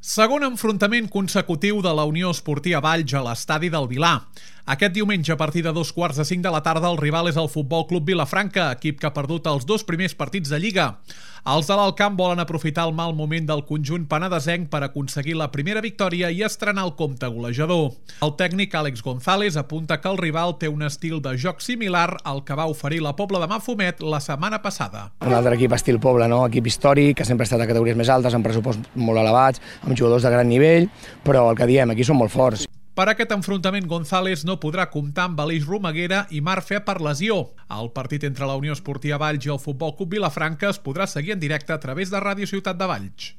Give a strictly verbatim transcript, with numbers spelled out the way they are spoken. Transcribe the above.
Segon enfrontament consecutiu de la Unió Esportiva Valls a l'estadi del Vilar. Aquest diumenge, a partir de dos quarts de cinc de la tarda, el rival és el Futbol Club Vilafranca, equip que ha perdut els dos primers partits de Lliga. Els de l'Alt Camp volen aprofitar el mal moment del conjunt penedesenc per aconseguir la primera victòria i estrenar el compte golejador. El tècnic Àlex González apunta que el rival té un estil de joc similar al que va oferir la Pobla de Mafumet la setmana passada. Un altre equip estil Pobla, no? Equip històric, que sempre ha estat a categories més altes, amb pressupost molt elevats, amb jugadors de gran nivell, però el que diem, aquí són molt forts. Per aquest enfrontament, González no podrà comptar amb Aleix Romaguera i Marc Fe per lesió. El partit entre la Unió Esportiva Valls i el Futbol Club Vilafranca es podrà seguir en directe a través de Ràdio Ciutat de Valls.